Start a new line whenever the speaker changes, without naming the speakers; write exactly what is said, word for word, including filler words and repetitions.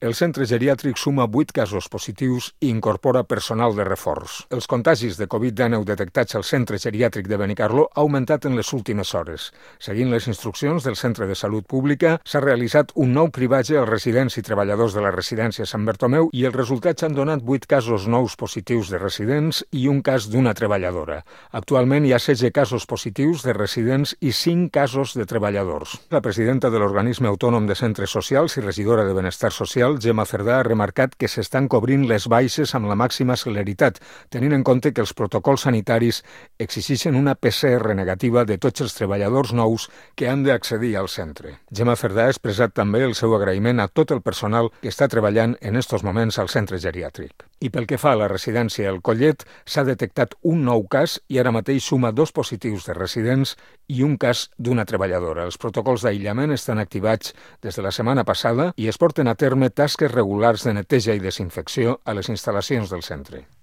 El centre geriàtric suma vuit casos positius i incorpora personal de reforç. Els contagis de covid dinou detectats al centre geriàtric de Benicarló ha augmentat en les últimes hores. Seguint les instruccions del Centre de Salut Pública, s'ha realitzat un nou cribatge als residents i treballadors de la residència Sant Bertomeu i els resultats han donat vuit casos nous positius de residents i un cas d'una treballadora. Actualment hi ha setze casos positius de residents i cinc casos de treballadors. La presidenta de l'Organisme Autònom de Centres Socials i regidora de Benestar Social, Gemma Cerdà, ha remarcat que s'estan cobrint les baixes amb la màxima celeritat, tenint en compte que els protocols sanitaris exigeixen una P C R negativa de tots els treballadors nous que han d'accedir al centre. Gemma Cerdà ha expressat també el seu agraïment a tot el personal que està treballant en estos moments al centre geriàtric. I pel que fa a la residència El Collet, s'ha detectat un nou cas i ara mateix suma dos positius de residents i un cas d'una treballadora. Els protocols d'aïllament estan activats des de la setmana passada i es porten a terme tasques regulars de neteja i desinfecció a les instal·lacions del centre.